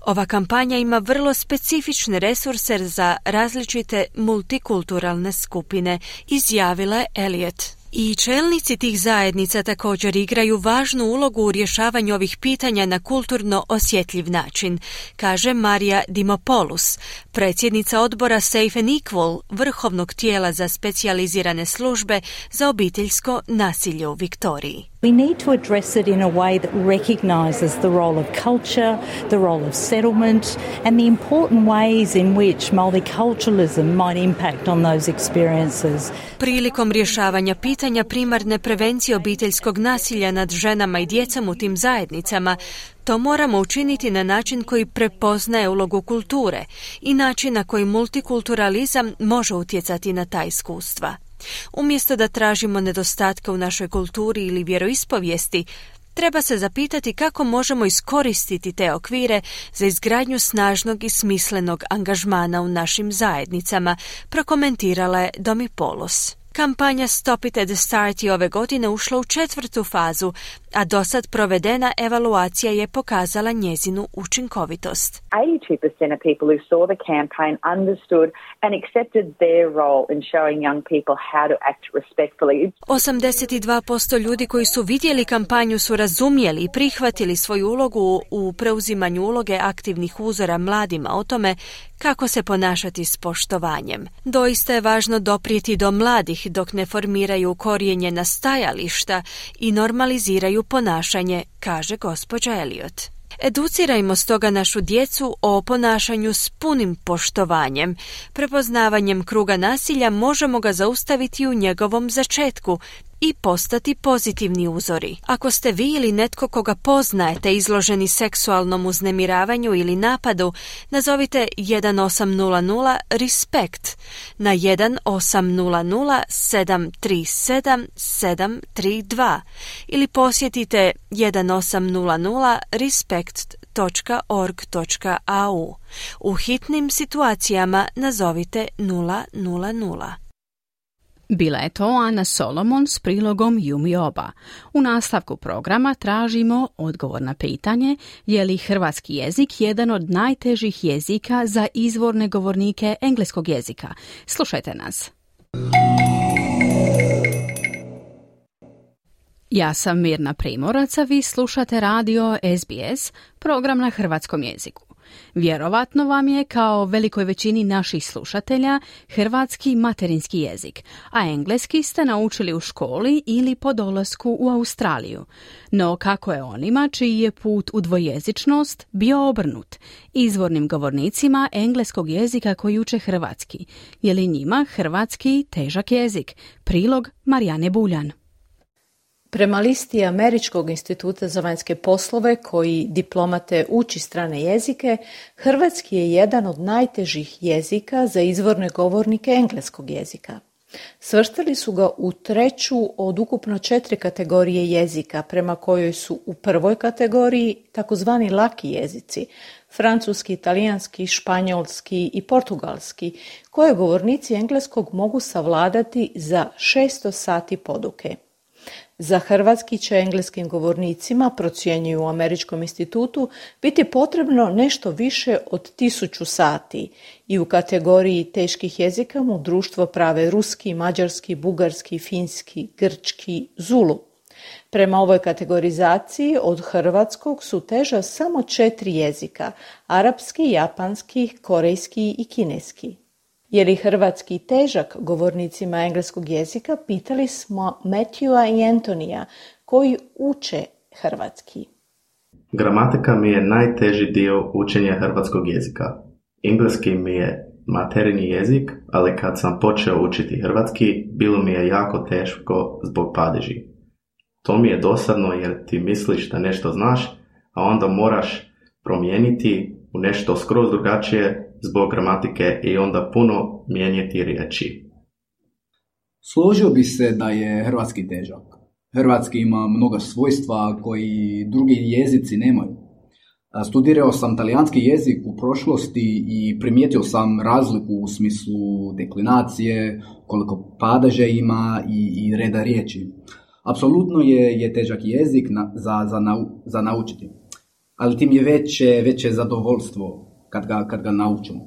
Ova kampanja ima vrlo specifične resurse za različite multikulturalne skupine, izjavila je Elliott. I čelnici tih zajednica također igraju važnu ulogu u rješavanju ovih pitanja na kulturno osjetljiv način, kaže Marija Dimopoulos, predsjednica odbora Safe and Equal, vrhovnog tijela za specijalizirane službe za obiteljsko nasilje u Viktoriji. We need to address it in a way that recognises the role of culture, the role of settlement, and the important ways in which multiculturalism might impact on those experiences. Prilikom rješavanja pitanja primarne prevencije obiteljskog nasilja nad ženama i djecom u tim zajednicama, to moramo učiniti na način koji prepoznaje ulogu kulture i način na koji multikulturalizam može utjecati na ta iskustva. Umjesto da tražimo nedostatke u našoj kulturi ili vjeroispovijesti, treba se zapitati kako možemo iskoristiti te okvire za izgradnju snažnog i smislenog angažmana u našim zajednicama, prokomentirala je Dimopoulos. Kampanja Stop it at the start je ove godine ušla u 4. fazu, a dosad provedena evaluacija je pokazala njezinu učinkovitost. 82% of people who saw the campaign understood and accepted their role in showing young people how to act respectfully. 82% ljudi koji su vidjeli kampanju su razumjeli i prihvatili svoju ulogu u preuzimanju uloge aktivnih uzora mladima o tome kako se ponašati s poštovanjem. Doista je važno doprijeti do mladih dok ne formiraju ukorijenjena stajališta i normaliziraju ponašanje, kaže gospođa Elliott. Educirajmo stoga našu djecu o ponašanju s punim poštovanjem. Prepoznavanjem kruga nasilja možemo ga zaustaviti u njegovom začetku i postati pozitivni uzori. Ako ste vi ili netko koga poznajete izloženi seksualnom uznemiravanju ili napadu, nazovite 1800 RESPECT na 1800 737 732 ili posjetite 1800 respect.org.au. U hitnim situacijama nazovite 000. Bila je to Ana Solomon s prilogom Yumi Oba. U nastavku programa tražimo odgovor na pitanje je li hrvatski jezik jedan od najtežih jezika za izvorne govornike engleskog jezika. Slušajte nas. Ja sam Mirna Primorac, a vi slušate radio SBS, program na hrvatskom jeziku. Vjerovatno vam je, kao velikoj većini naših slušatelja, hrvatski materinski jezik, a engleski ste naučili u školi ili po dolasku u Australiju. No kako je onima čiji je put u dvojezičnost bio obrnut, izvornim govornicima engleskog jezika koji uče hrvatski? Je li njima hrvatski težak jezik? Prilog Marijane Buljan. Prema listi Američkog instituta za vanjske poslove koji diplomate uči strane jezike, hrvatski je jedan od najtežih jezika za izvorne govornike engleskog jezika. Svrstali su ga u 3. od ukupno 4 kategorije jezika, prema kojoj su u prvoj kategoriji takozvani laki jezici, francuski, talijanski, španjolski i portugalski, koje govornici engleskog mogu savladati za 600 sati poduke. Za hrvatski će engleskim govornicima, procjenjuju u Američkom institutu, biti potrebno nešto više od 1000 sati i u kategoriji teških jezika mu društvo prave ruski, mađarski, bugarski, finski, grčki, zulu. Prema ovoj kategorizaciji od hrvatskog su teža samo 4 jezika, arapski, japanski, korejski i kineski. Je li hrvatski težak govornicima engleskog jezika, pitali smo Matthewa i Antonija, koji uče hrvatski. Gramatika mi je najteži dio učenja hrvatskog jezika. Engleski mi je materinji jezik, ali kad sam počeo učiti hrvatski, bilo mi je jako teško zbog padeži. To mi je dosadno jer ti misliš da nešto znaš, a onda moraš promijeniti u nešto skroz drugačije zbog gramatike i onda puno mijenjati riječi. Složio bi se da je hrvatski težak. Hrvatski ima mnoga svojstva koji drugi jezici nemaju. Studirao sam talijanski jezik u prošlosti i primijetio sam razliku u smislu deklinacije, koliko padeža ima i reda riječi. Apsolutno je težak jezik za naučiti, ali tim je veće zadovoljstvo kad ga naučimo.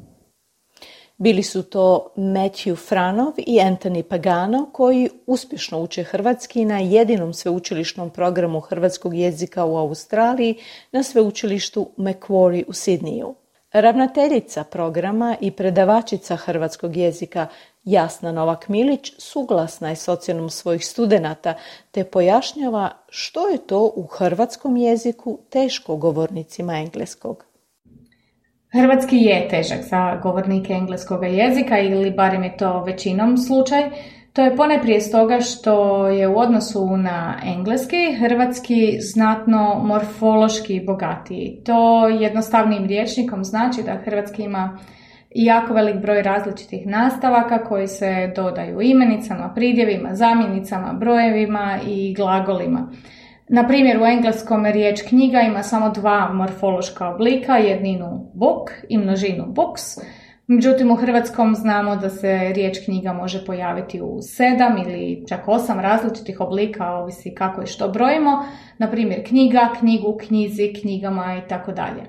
Bili su to Matthew Franov i Anthony Pagano, koji uspješno uče hrvatski na jedinom sveučilišnom programu hrvatskog jezika u Australiji na sveučilištu Macquarie u Sidneju. Ravnateljica programa i predavačica hrvatskog jezika Jasna Novak-Milić suglasna je s ocjenom svojih studenata te pojašnjava što je to u hrvatskom jeziku teško govornicima engleskog. Hrvatski je težak za govornike engleskog jezika ili barem je to većinom slučaj. To je ponajprije stoga što je u odnosu na engleski hrvatski znatno morfološki bogatiji. To jednostavnim rječnikom znači da hrvatski ima jako velik broj različitih nastavaka koji se dodaju imenicama, pridjevima, zamjenicama, brojevima i glagolima. Na primjer, u engleskom riječ knjiga ima samo 2 morfološka oblika, jedninu book i množinu books. Međutim, u hrvatskom znamo da se riječ knjiga može pojaviti u 7 ili čak 8 različitih oblika, ovisi kako i što brojimo. Na primjer, knjiga, knjigu, knjizi, knjigama i tako dalje.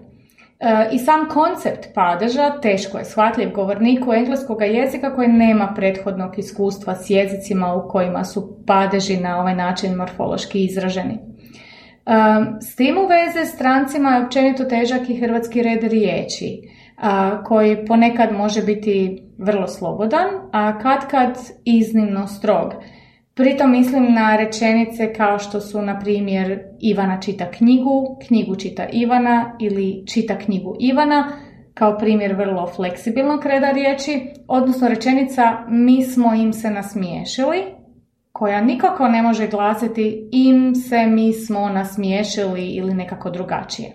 I sam koncept padeža teško je shvatljiv govorniku engleskog jezika koji nema prethodnog iskustva s jezicima u kojima su padeži na ovaj način morfološki izraženi. S tim u veze strancima je općenito težak i hrvatski red riječi, koji ponekad može biti vrlo slobodan, a kad iznimno strog. Pritom mislim na rečenice kao što su, na primjer, Ivana čita knjigu, knjigu čita Ivana ili čita knjigu Ivana, kao primjer vrlo fleksibilnog reda riječi, odnosno rečenica mi smo im se nasmiješili, koja nikako ne može glasiti im se, mi smo, nasmiješili ili nekako drugačije.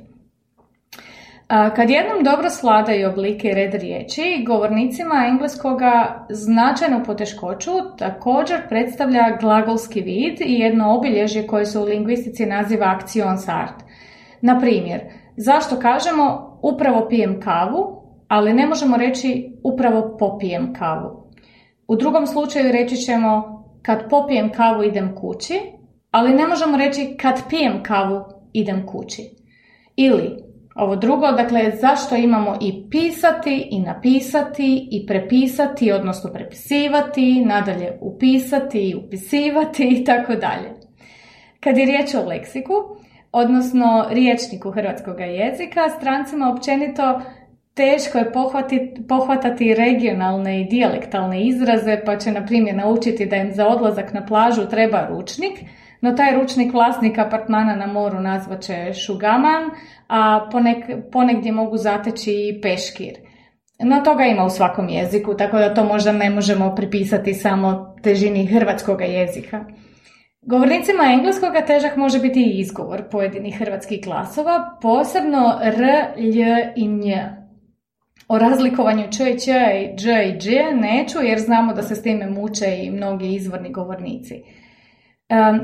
Kad jednom dobro svladaju oblike i red riječi, govornicima engleskoga značajnu poteškoću također predstavlja glagolski vid i jedno obilježje koje se u lingvistici naziva aktionsart. Na primjer, zašto kažemo upravo pijem kavu, ali ne možemo reći upravo popijem kavu. U drugom slučaju reći ćemo kad popijem kavu idem kući, ali ne možemo reći kad pijem kavu idem kući. Ili ovo drugo, dakle, zašto imamo i pisati, i napisati, i prepisati, odnosno prepisivati, nadalje upisati i upisivati i tako dalje. Kad je riječ o leksiku, odnosno rječniku hrvatskog jezika, strancima općenito teško je pohvatati regionalne i dijalektalne izraze, pa će, na primjer, naučiti da im za odlazak na plažu treba ručnik, no taj ručnik vlasnik apartmana na moru nazvat će šugaman, a ponegdje mogu zateći i peškir. No toga ima u svakom jeziku, tako da to možda ne možemo pripisati samo težini hrvatskog jezika. Govornicima engleskoga težak može biti i izgovor pojedinih hrvatskih glasova, posebno r, lj i nj. O razlikovanju č i ć i dž i dž neću, jer znamo da se s time muče i mnogi izvorni govornici.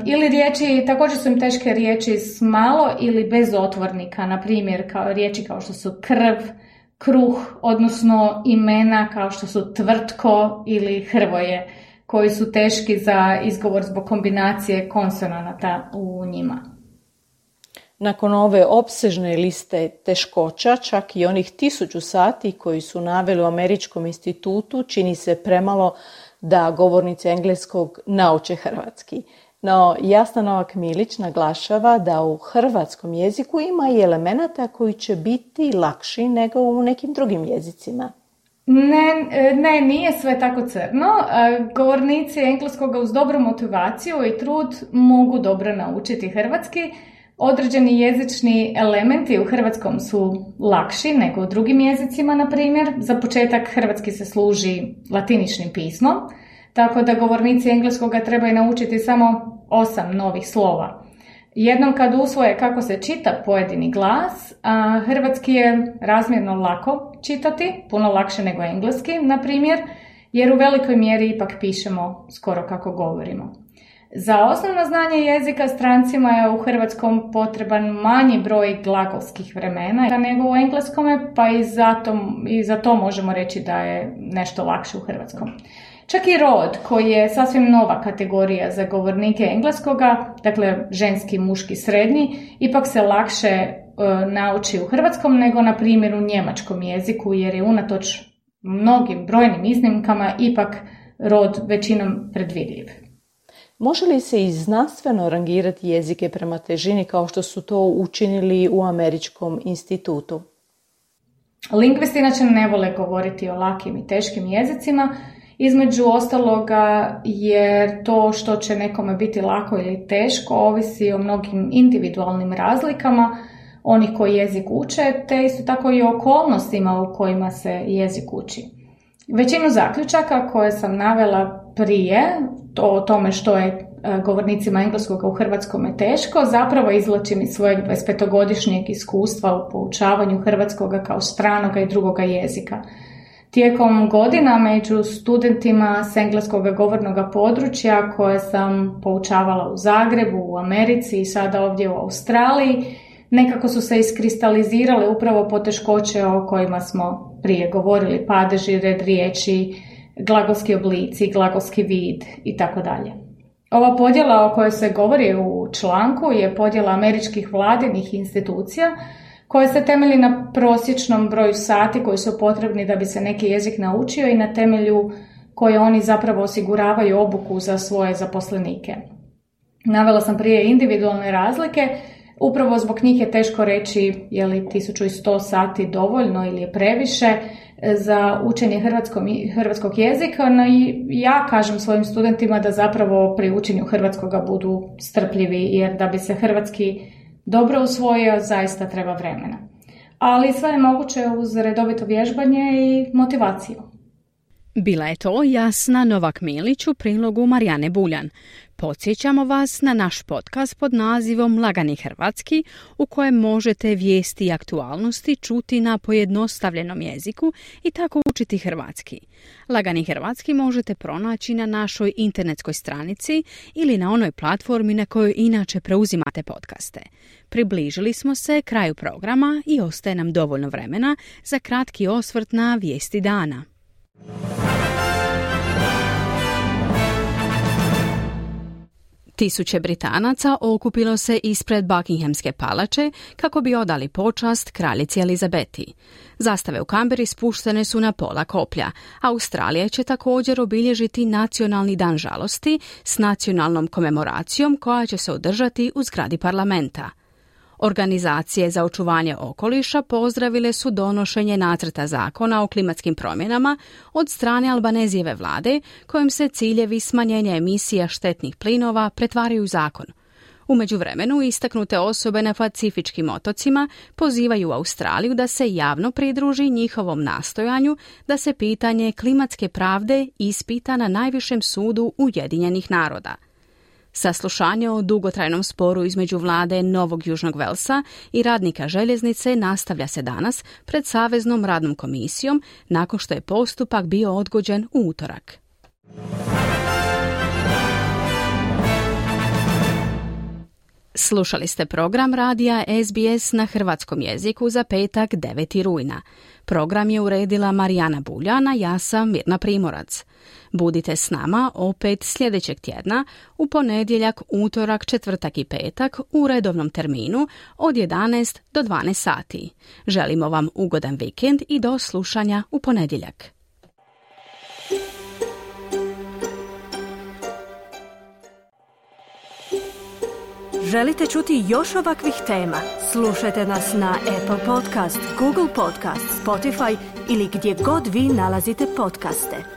Ili riječi, također su im teške riječi s malo ili bez otvornika, na primjer riječi kao što su krv, kruh, odnosno imena kao što su tvrtko ili hrvoje, koji su teški za izgovor zbog kombinacije konsonanata u njima. Nakon ove opsežne liste teškoća, čak i onih 1000 sati koji su naveli u Američkom institutu, čini se premalo da govornici engleskog nauče hrvatski. No, Jasna Novak-Milić naglašava da u hrvatskom jeziku ima i elemenata koji će biti lakši nego u nekim drugim jezicima. Ne, nije sve tako crno. Govornici engleskoga uz dobru motivaciju i trud mogu dobro naučiti hrvatski. Određeni jezični elementi u hrvatskom su lakši nego u drugim jezicima, na primjer. Za početak hrvatski se služi latiničnim pismom, tako da govornici engleskoga trebaju naučiti samo 8 novih slova. Jednom kad usvoje kako se čita pojedini glas, a hrvatski je razmjerno lako čitati, puno lakše nego engleski, na primjer, jer u velikoj mjeri ipak pišemo skoro kako govorimo. Za osnovno znanje jezika strancima je u hrvatskom potreban manji broj glagolskih vremena nego u engleskome, pa i za to možemo reći da je nešto lakše u hrvatskom. Čak i rod, koji je sasvim nova kategorija za govornike engleskoga, dakle ženski, muški, srednji, ipak se lakše nauči u hrvatskom nego na primjer u njemačkom jeziku, jer je unatoč mnogim brojnim iznimkama ipak rod većinom predvidljiv. Može li se i znanstveno rangirati jezike prema težini kao što su to učinili u Američkom institutu? Lingvisti inače ne vole govoriti o lakim i teškim jezicima, između ostaloga jer to što će nekome biti lako ili teško ovisi o mnogim individualnim razlikama onih koji jezik uče, te isto tako i o okolnostima u kojima se jezik uči. Većinu zaključaka koje sam navela prije o tome što je govornicima engleskoga u hrvatskome teško, zapravo izvlačim iz svojeg 25-godišnjeg iskustva u poučavanju hrvatskoga kao stranoga i drugoga jezika. Tijekom godina među studentima s engleskoga govornog područja koje sam poučavala u Zagrebu, u Americi i sada ovdje u Australiji, nekako su se iskristalizirale upravo poteškoće o kojima smo prije govorili, padeži, red riječi, glagolski oblici, glagolski vid i tako dalje. Ova podjela o kojoj se govori u članku je podjela američkih vladinih institucija koja se temelji na prosječnom broju sati koji su potrebni da bi se neki jezik naučio i na temelju koje oni zapravo osiguravaju obuku za svoje zaposlenike. Navela sam prije individualne razlike, upravo zbog njih je teško reći je li 1100 sati dovoljno ili je previše za učenje hrvatskog jezika, no i ja kažem svojim studentima da zapravo pri učenju hrvatskoga budu strpljivi, jer da bi se hrvatski dobro usvojio zaista treba vremena. Ali sve je moguće uz redovito vježbanje i motivaciju. Bila je to Jasna Novak Milić u prilogu Marijane Buljan. Podsjećamo vas na naš podcast pod nazivom Lagani hrvatski, u kojem možete vijesti i aktualnosti čuti na pojednostavljenom jeziku i tako učiti hrvatski. Lagani hrvatski možete pronaći na našoj internetskoj stranici ili na onoj platformi na kojoj inače preuzimate podcaste. Približili smo se kraju programa i ostaje nam dovoljno vremena za kratki osvrt na vijesti dana. Tisuće Britanaca okupilo se ispred Buckinghamske palače kako bi odali počast kraljici Elizabeti. Zastave u Kamberi spuštene su na pola koplja. Australija će također obilježiti Nacionalni dan žalosti s nacionalnom komemoracijom koja će se održati u zgradi parlamenta. Organizacije za očuvanje okoliša pozdravile su donošenje nacrta zakona o klimatskim promjenama od strane Albanezijeve vlade, kojim se ciljevi smanjenja emisija štetnih plinova pretvaraju u zakon. U međuvremenu istaknute osobe na Pacifičkim otocima pozivaju Australiju da se javno pridruži njihovom nastojanju da se pitanje klimatske pravde ispita na najvišem sudu Ujedinjenih naroda. Saslušanje o dugotrajnom sporu između vlade Novog Južnog Velsa i radnika željeznice nastavlja se danas pred Saveznom radnom komisijom nakon što je postupak bio odgođen u utorak. Slušali ste program radija SBS na hrvatskom jeziku za petak 9. rujna. Program je uredila Marijana Buljan, a ja sam Mirna Primorac. Budite s nama opet sljedećeg tjedna u ponedjeljak, utorak, četvrtak i petak u redovnom terminu od 11 do 12 sati. Želimo vam ugodan vikend i do slušanja u ponedjeljak. Želite čuti još ovakvih tema? Slušajte nas na Apple Podcast, Google Podcast, Spotify ili gdje god vi nalazite podcaste.